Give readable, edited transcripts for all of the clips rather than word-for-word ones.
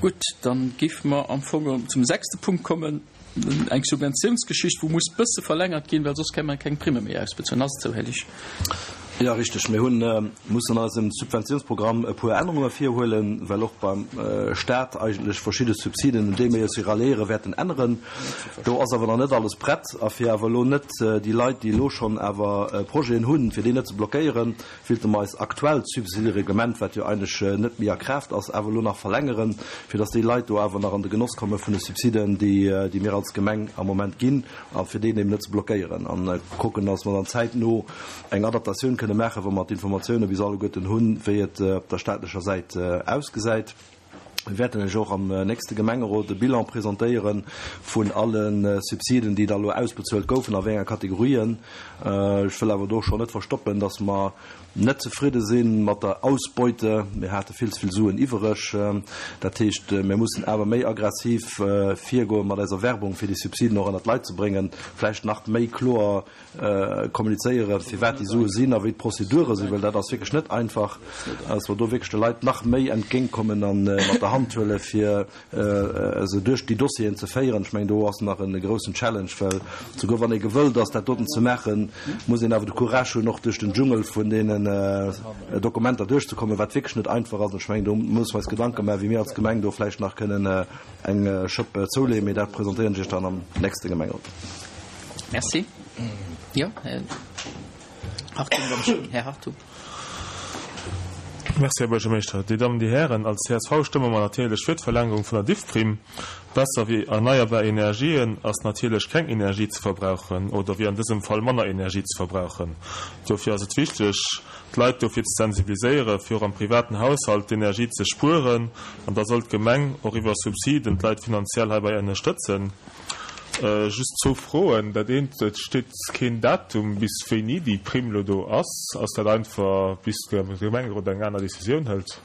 Gutt, dann géife mer am Fong zum sechste Punkt kommen, eng Subventiounsgeschicht, wou muss bësse verlängert ginn, well soss kënne mer keng Primme méi ausbezuelen. Ass et esou, Här Liesch? Jo, richteg. Mir hunn mussen an eisem Subventiounsprogramm e puer Ännerunge virhuelen, well och beim Stat eigentlech verschidde Subsiden, un déi mir eis ralliéieren, wäerten änneren. Do ass awer nach net alles prett. A fir awer elo net déi Leit, déi elo schonn awer Projeten hunn, fir déi net ze blockéieren, Willte mer eist aktuellt Subsidereglement, wat jo eigentlech net méi a Kraaft ass, awer elo nach verlängeren, fir dass déi Leit do awer nach an de Genoss komme vun de Subsiden, déi mir als Gemeng am Moment ginn, a fir déi eben net ze blockéieren a kucken, dass mer dann zäitno eng Adaptatioun kënne maachen, wa mer d'Informatioune bis alleguerten hunn, wéi et op der staatlecher Säit ausgesäit. Mir wäerten lech och am nächste Gemengerot e Bilan presentéiere vun alle Subsiden, déi da lo ausbezuelt goufen, a wéi enger Kategorien. Ech wëll awer do schonn net verstoppen, dass mer net zefridde si mat der Ausbeute. Mir hate vill ze vill Suen iwwereg. Dat heescht, mir mussen awer méi aggressiv virgoe mat eiser Werbung, fir déi Subsiden och ënnert d'Leit ze bréngen, vläicht nach méi kloer kommunizéieren, firwat déi Sue sinn a wéi d'Prozedure sinn, well dat ass wierklech net einfach, dass mer do wierklech de Leit nach méi entgéintkommen a mat der Hand huelen, fir se duerch déi Dossieren ze féieren. Ech mengen, do ass nach e groussen Challenge, well souguer wann ee gewëllt ass, dat doten ze maachen, muss een awer de Courage hunn, och duerch den Dschungel vun deenen Dokumenter duerchzekommen, wat wierklech net einfach ass. An ech mengen, do musse mer eis Gedanke maachen, wéi mir als Gemeng do vläicht nach kënnen eng Schëpp zouleeën. Mee dat presentéieren ech Iech dann am nächste Gemengerot. Merci. Jo, Här Hartung, Här Hartung. Merci, Här Buergermeeschter. Dir Dammen, Dir Hären, als csv stëmme mer natierlech fir d'Verlängerung vun der Diffprime. Besser wéi erneierbar Energien ass natierlech keng Energie ze verbrauchen oder wéi an dësem Fall manner Energie ze verbrauchen. Dofir ass et wichteg, d'Leit dofir ze sensibiliséieren, fir och am privaten Haushalt d'Energie ze spueren. An da soll d'Gemeng och iwwer Subsiden d'Leit finanziell heibäi ënnerstëtzen. Just zwou Froen. Dat eent, et steet keen Datum, bis wéini déi Primm elo do ass. Ass dat einfach, bis de Gemengerot eng aner Decisioun hëlt?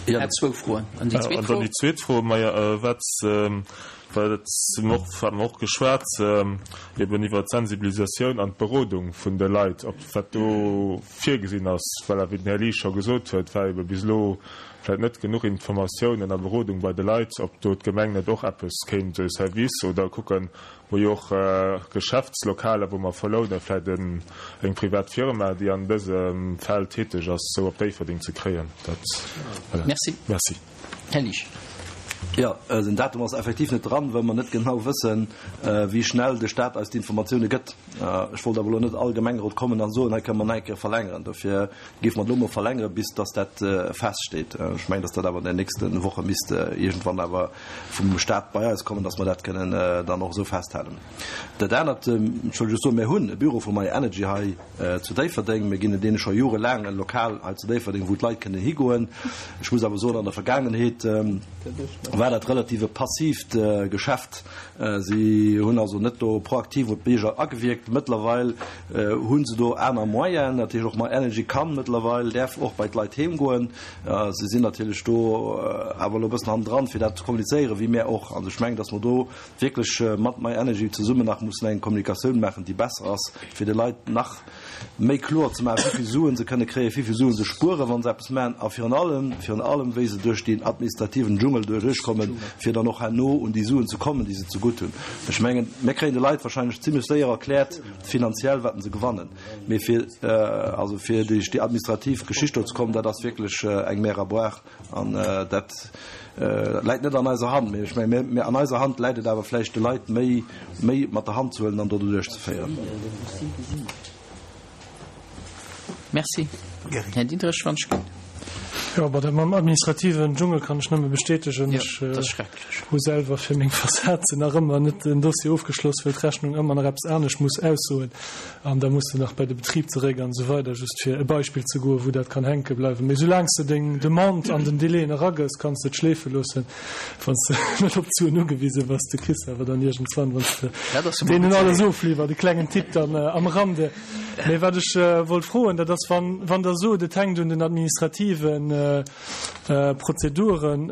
Jo, zwou Froen. An déi zweet Fro? An dann déi zweet Fro, majo, wat, well et mer och, hat mer och geschwat, eben iwwert d'Sensibilisatioun an d'Berodung vun de Leit, ob wat do virgesinn ass, well, wéi den Här Liesch scho gesot huet, war ebe bis elo vläit net genuch Informatiounen a Berodung bei de Leit, ob do d'Gemeng net och eppes kéint e Service oder kucken, wou jo och Geschäftslokaler, wou mer verlounen, vläit eng privat Firma, déi an dësem Feld täteg ass, sou op Déifferdeng ze kréien. Dat, voilà. Merci. Merci. Här Liesch. Jo, den Datum ass effektiv net dran, well mer net genau wëssen, wéi schnell de Stat eis d'Informatioune gëtt. Ech wollt awer elo net all Gemengerot kommen an soen, hei kënne mer nach eng Kéier verlängeren. Dofir géife mer et elo mol verlängeren, bis dass dat feststeet. Ech mengen, dass dat awer an den nächste Woche misst iergendwann awer vum Stat bei eis kommen, dass mer dat kënnen dann och esou festhalen. Dat anert, ech wëll just soen, mir hunn e Büro vu My Energy hei zu Déifferdeng. Mir ginn deene scho jorelaang e Lokal hei zu Déifferdeng, wou d'Leit kënnen higoen. Ech muss awer soen, an der Vergaangenheet war dat relativ e passiivt Geschäft. Si hunn also net do proaktiv op d'Bierger agewierkt. Mëttlerweil hu se do aner Moyenen. Dat heescht, och My Energy kann mëttlerweil, däerf och bei d'Leit heem goen. Si sinn natierlech do awer elo e bëssen hannendran, fir dat ze kommunizéieren, wéi mär och. Also ech mengen, datt mer do wierklech mat My Energy zesummen nach mussen eng Kommunikatioun maachen, déi besser ass, fir de Leit nach méi kloer ze maachen, wéi vill Suen se kënne kréien, wéi vill Suen se spueren, wa se eppes maachen, a virun allem, virun allem, wéi se duerch deen administrativen Dschungel duerchkommen, fir dann och herno un déi Suen ze kommen, déi se zegutt hunn. Ech mengen, mir kréien de Leit wahrscheinlech zimlech séier erkläert, finanziell, wat se gewannen, mee fir, also fir duerch déi administrativ Geschicht do ze kommen, dat ass wierklech eng Mer à boire. An dat läit net an eiser Hand. Mee ech menge mir, an eiser Hand läit et awer vläicht de Leit méi, méi mat der Hand ze huelen an do doduerch ze féieren. Merci. Här Diderich, wann ech ginn. Jo, bon, dat mam administrativen Dschungel kann ech nëmme bestätegen. Jo, Ech dat ass schrecklech. hu selwer fir meng Fassad nach ëmmer net den Dossier ofgeschloss, well d'Rechnung ëmmer nach eppes anescht muss aussoen. An da muss de nach bei de Betrib zeréck an esou weider, just fir e Beispill ze goen, wou dat kann hänke bleiwen. Mee soulaang s de deng Demande an den Délaiën eragëss, kanns de et schleefe loossen, wann s de net op d'Suen ugewise bass. Du kriss se awer dann iergendswann, wann s de deenen alles ofliwwert. E klengen Tipp dann am Rande. Mee wat ech wollt froen, dat ass, wann, wann Der sot, et hänkt un den administrativen. Prozeduren,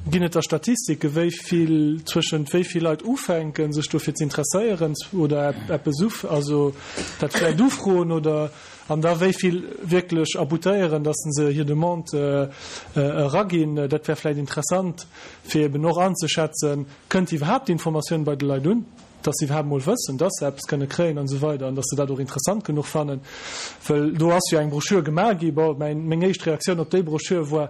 ginn et da Statistike wéi vill, zwëschent wéi vill Leit ufänken sech dofir ze interesséieren oder eppes uf, also dat vläicht ufroen oder an da wéi vill wierklech aboutéieren, datt se hir Demande eraginn? Dat wär vläicht interessant fir eben och anzeschätzen, kënnt iwwerhaapt d'Informatioun bei de Leit un? dass se iwwerhaapt emol wëssen, dass se eppes kënne kréien an esou weider an dass se dat och interessant genuch fannen, well do ass jo eng Broschür gemaach gi. Bon, mäin, meng éischt Reaktioun op déi Broschür war,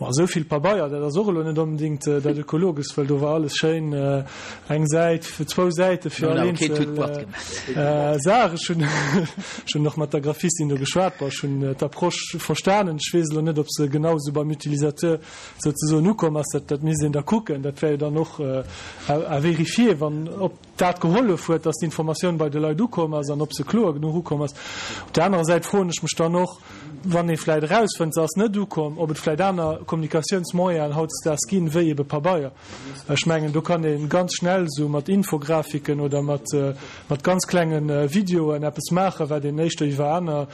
Bon, esou vill Pabeier, dat ass och elo net onbedéngt dat Ökologeschst, well do war alles schéin, eng Säit, zwou Säite fir all eenzel Saach. Ech hunn, ech hunn och mat der Graphistin do geschwat. Bon, ech hunn d'Approche verstanen. Ech weess elo net, ob se genau esou beim Utilisateur souzesoen ukomm ass, dat, dat misst een da kucken. Dat wär jo dann och à vérifier, wann, ob dat gehollef huet, dass d'Informatioun bei de Leit ukomm ass an ob se kloer genuch ukomm ass. Op där anerer Säit froen ech mech dann och, wann ee vläicht erausfënnt, se ass net ukomm, ob et vläicht aner Kommunikatiounsmoyenen hautdesdaags ginn, wéi ebe Pabeier. Ech mengen, do kann ee ganz schnell esou mat Infografiken oder mat, mat ganz klenge Videoen eppes maachen, wat een éischter iwwer aner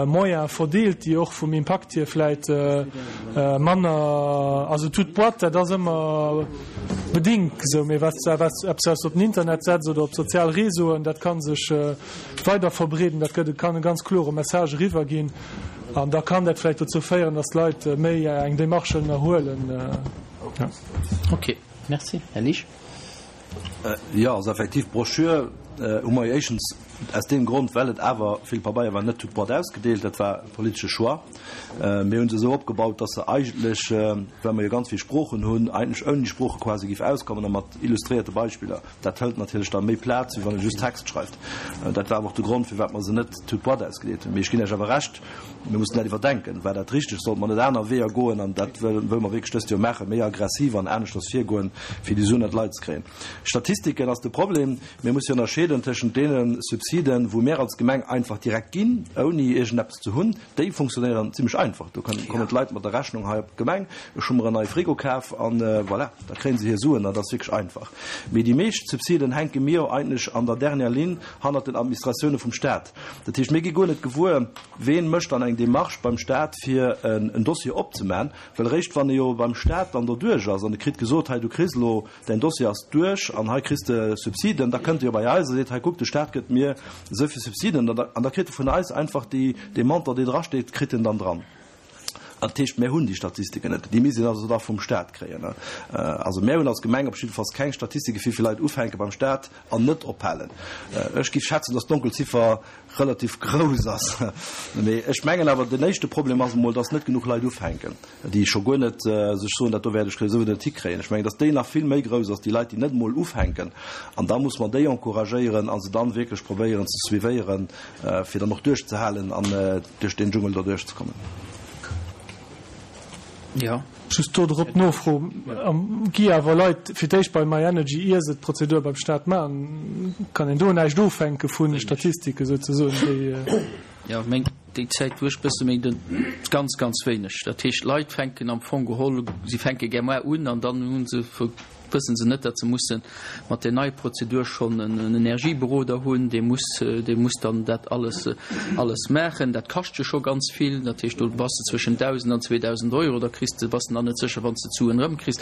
Moyene verdeelt, déi och vum Impakt hier vläit manner, also toute boîte, dat ass ëmmer bedingt esou, mee wat eppes wat s de op den Internet setz oder op sozial Réseauen, dat ka sech weider verbreeden, dat gëtt, kann e ganz klore Message eriwwer ginn an da kann dat vläicht dozou féieren, datt d'Leit méi eng Démarche ënnerhuelen. Ok, merci. Här Liesch. Jo, also effektiv, d'Broschür hu mer jo éischtens aus deem Grond, well et awer vill Pabeier war, net toute boîte ausgedeelt. Dat war e politesche Choix. Mir hu se esou opgebaut, dass se eigentlech, well mer jo ganz vill Sproochen hunn, eigentlech ouni Sprooche quasi géif auskommen a mat illustréierte Beispiller. Dat hëlt natierlech da méi Plaz, wéi wann ee just Text schreift. Dat war awer och de Grond, firwat mer se net toute boîte ausgedeelt hunn. Mee ech ginn Iech awer Recht, mir mussen dat iwwerdenken. War dat richteg? Sollte mer net aner Weeër goen? An dat wëlle mer wierklech dëst Joer maachen, méi aggressiv an aneschters virgoen, fir déi Suen an d'Leit ze kréien. Statistiken ass de Problem. Mir musse jo ënnerscheeden tëschent deene Subsiden, wou mir als Gemeng einfach direkt ginn, ouni iergendeppes ze hunn. Déi funktionéieren zimlech einfach. Do kommen d'Leit mat der Rechnung hei op d'Gemeng, ech hu mer en neie Frigo kaf an voilà, da kréie se hir Suen. Dat ass wierklech einfach. Mee déi meescht Subsiden hänke mir jo eigentlech an der dernière Ligne hannert den Administratioune vum Staat. Dat heescht, mir gi guer net gewuer, ween mécht dann eng Démarche beim Staat, fir en Dossier opzemaachen. Well eréischt wann e jo beim Staat dann doduerch ass an e kritt gesot, hei du kriss elo, däin Dossier ass duerch an hei kriss de Subsiden, da kënnt e jo bei eis a seet, hei kuck, de Staat gëtt mir esou vill Subsiden an da kritt e vun eis einfach déi, dee Montant, dee drasteet, kritt en dann dran. Dat heescht, mär hunn déi Statistiken net. Déi misst een also da vum Staat kréien. Also mär hunn als Gemeng op jiddefalls keng Statistike wéi vill Leit ufänke beim Staat an net ophalen. Ech géif schätzen, datt d'Donkelziffer relativ grouss ass. Mee ech mengen awer, den éischte Problem ass emol, datt net genuch Leit ufänken, déi scho guer net sech soen, dat do wäert ech souwisou net hikréien. Ech mengen, datt déi nach vill méi grouss ass, déi Leit, déi net emol ufänken. An da muss mer déi encouragéieren a se dann wierklech probéieren ze suivéieren, fir dann och duerchzehalen an duerch deen Dschungel do duerchzekommen. Jo. Just do drop d'Nofro, Gi awer Leit fir d'éischt bei myenergy, ier se d'Prozedur beim Staat maachen? Kann een do näischt ofhänke vu Statistike souzesoen, déi. Jo, meng, déi Zäit wou ech bësse méi den, ganz, ganz wéineg. Dat heescht, d'Leit fänken am Fong geholl, si fänke gär mar un an dann hu se wëssen se net, datt se musse mat där neier Prozedur schonn en Energieberoder hunn, dee muss, dee muss dann dat alles, alles maachen. Dat kascht jo scho ganz vill. Dat heescht, do bass de zwëschen 1.000 an 2.000 Euro, da kriss de, bass de nach net sécher, wann s de d'Suen erëmkriss.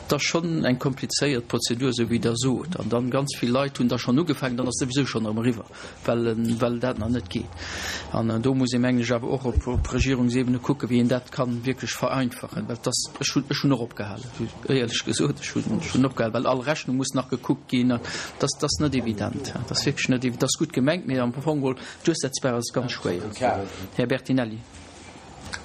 Dat ass schonn eng komplizéiert Prozedur, esou wéi Der sot. An dann, ganz vill Leit hunn da schonn ugefaangen, dann ass souwisou schonn erëm eriwwer. well, well dat nach net geet. An do muss ee mengen ech awer och op, op Regierungsebene kucken, wéi een dat kann wierklech vereinfachen, well dass, ech hunn, ech hunn och opgehalen, éierlech gesot, ech hunn, ech hunn opgehalen, well all Rechnung muss nach gekuckt ginn an dass, dass net evident, dat ass wierklech net, dat ass gutt gemengt, mee am Fong geholl duerchsetzbar ass et ganz schwéier. Här Bertinelli.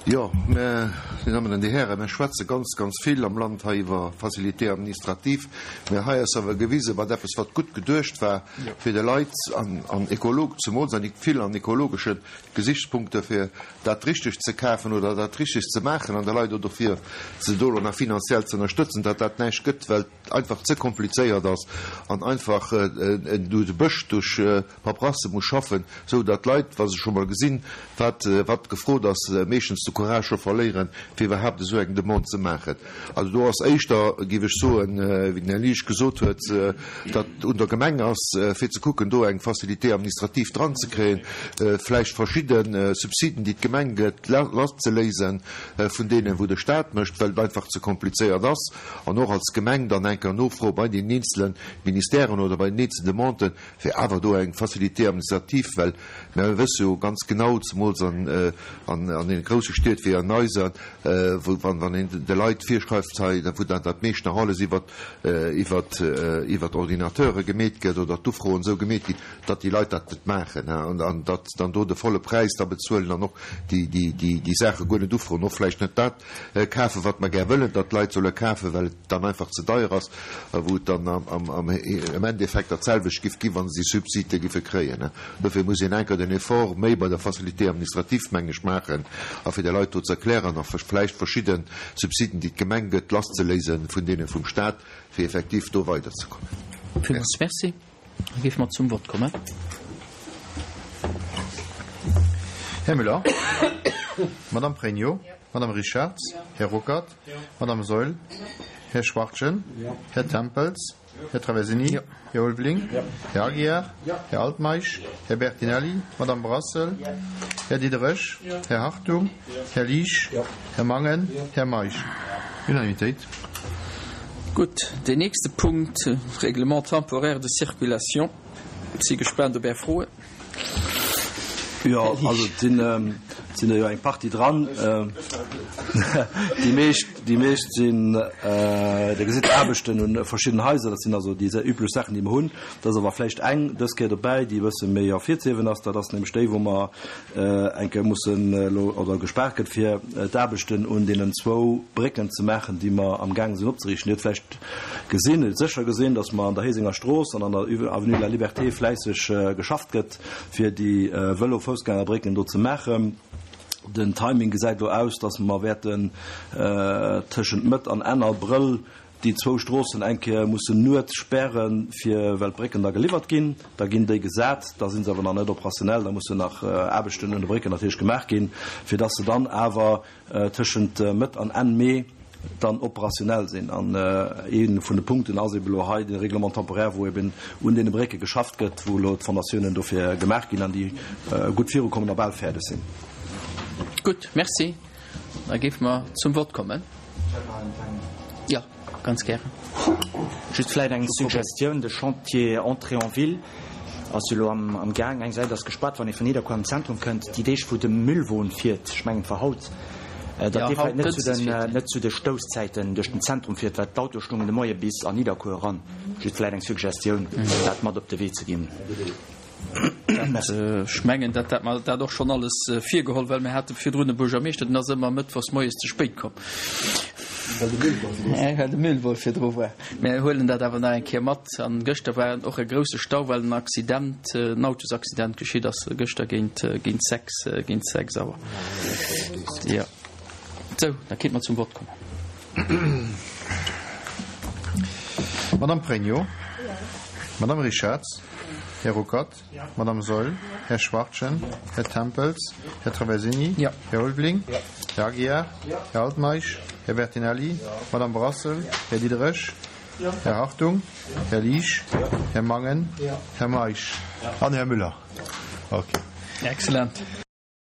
Jo, mä, Dir Dammen an Dir Hären, mir schwätze ganz, ganz vill am Land hei iwwer Facilité administrative, mä hei ass awer gewisen, wat eppes, wat gutt geduecht war fir de Leit an, an ekolog, zemools an vill an ekologesche Gesichtspunkte, fir dat Richtegt ze kafen oder dat Richtegt ze maachen an de Leit och dofir se do elo nach finanziell ze ënnerstëtzen, datt dat näischt gëtt, well et einfach ze komplizéiert ass an einfach du de Bësch duerch Paperasse muss schaffen, esou datt d'Leit, wa se scho mol gesinn, wat wat gefrot ass, meeschtens de. Courage scho verléieren, fir iwwerhaapt esou eng Demande ze maachen. Also do ass éischter, géif ech soen, wéi den Här Liesch gesot huet, datt un der Gemeng ass, fir ze kucken, do eng Facilité administrative dranzekréien, vläicht verschidde Subsiden, déi d'Gemeng gëtt, lasszeléise vun deenen, wou de Stat mécht, well et einfach ze komplizéiert ass, an och als Gemeng dann eng Kéier nofroe bei deenen eenzele Ministèren oder bei den eenzelen Demanden, fir awer do eng Facilité administrative, well mir wësse jo ganz genau, zemools an deene grousse Stied wéi an eiser, wou wann een de Leit virschreift hei, wou dann dat meescht nach alles iwwer iwwer Ordinateure gemeet gëtt oder d'Ufroen esou gemeet ginn, datt déi Leit dat net maachen an datt dann do de volle Präis da bezuelen an och déi Saache guer net ufroen, och vläicht net dat kafen, wat mer gär wëllen, datt d'Leit solle kafen, well et dann einfach ze deier ass, a wou et dann am Endeffekt dat selwecht giff ginn, wa se déi Subside giffe kréien. Dofir muss een enker den Effort méi bei der Facilité administrative, meng ech, maachen a fir de Leit do ze erklären a vläicht verschidde Subsiden, déi d'Gemeng gëtt, lasszeléise vun deene vum Stat, fir effektiv do weiderzekommen. Villmools Merci. Da géife mer zum Vott kommen. Här Müller, Madame Pregno, Madame Richarz, Här Ruckert, Madame Saeul, Här Schwachtgen, Här Tempels, Här Traversini, Här Ulveling, Här Aguiar, Här Altmeisch, Här Bertinelli, Madame Brassel, Här Diderich, Här Hartung, Här Liesch, Här Mangen, Här Meisch. Unanimitéit. Gutt, deen nächste Punkt, Règlement temporaire de circulation. Ech si gespaant op Är Froen. Jo, also et sinn, et sinn der jo eng Partie dran. Déi meescht, déi meescht sinn, Dir gesitt d'Aarbechten un verschidden Haiser, dat sinn also déi üblech Saachen, déi mer hunn. Et ass awer vläicht eng dës Kéier dobäi, déi e bësse méi ervirzehiewen ass. Dat ass nämlech déi, wou mer eng Kéier mussen elo, oder gespaart gëtt, fir d'Aarbechten un deenen zwou Brécken ze maachen, déi mer amgaange sinn opzeriichten. Dir hutt vläicht gesinn, Dir hutt sécher gesinn, datt mer an der Héisenger Strooss an an der Avenue de la Liberté fläisseg geschafft gëtt, fir déi Vëlo-Foussgängerbrécken do ze maachen. Den Timing gesäit elo aus, datt mer wäerten tëschent Mëtt an Enn Abrëll déi zwou Stroossen eng Kéier mussen nuets spären, fir, well d'Brécken da geliwwert ginn. Da ginn déi gesat, da si se awer nach net operationell, da mussen nach Aarbechten un de Brécken natierlech gemaach ginn, fir dass se dann awer tëschent Mëtt an Enn Mee dann operationell sinn. An ee vun de Punkten ass eben elo hei de Règlement temporaire, wou eben un deene Brécke geschafft gëtt, wou elo d'Fondatiounen dofir gemaach ginn an déi gutt virukommen a bal fäerdeg sinn. Gutt, Merci. Da géife mer zum Vott kommen. Jo, ganz gären. Just vläit eng Suggestioun, De Chantier Entrée en ville ass jo elo am Gaang. Eng Säit ass gespaart, wann ee vun Nidderkuer an d'Zentrum kënnt. Déi Deeg, wou de Müllwon fiert, ech mengen et war haut, datt dee vläit net zu den, net zu de Stousszäiten duerch den Zentrum fiert, well d'Autoe stungen de Moie bis an Nidderkuer eran. Just vläit eng Suggestioun, dat mat op de Wee ze ginn. Ech mengen, dat hat mer dat och schonn alles virgeholl, well mir hate virdrun e Buergermeeschter, deen ass ëmmer mëttwochs moies ze spéit komm. Well de Müllwon virdru war. Mir huelen dat awer nach eng Kéier mat. An gëschter war och e grousse Stau, well en Accident, en Autosaccident geschitt ass gëschter géint, géint 6, géint 6 Auer. Jo. Sou, da kéinte mer zum Vott kommen. Madame Pregno, Madame Richarz, Här Ruckert, Madame Saeul, Här Schwachtgen, Här Tempels, Här Traversini, Här Ulveling, Här Aguiar, Här Altmeisch, Här Bertinelli, Madame Brassel, Här Diderich, Här Hartung, Här Liesch, Här Mangen, Här Meisch an Här Müller. Okay. Excellent.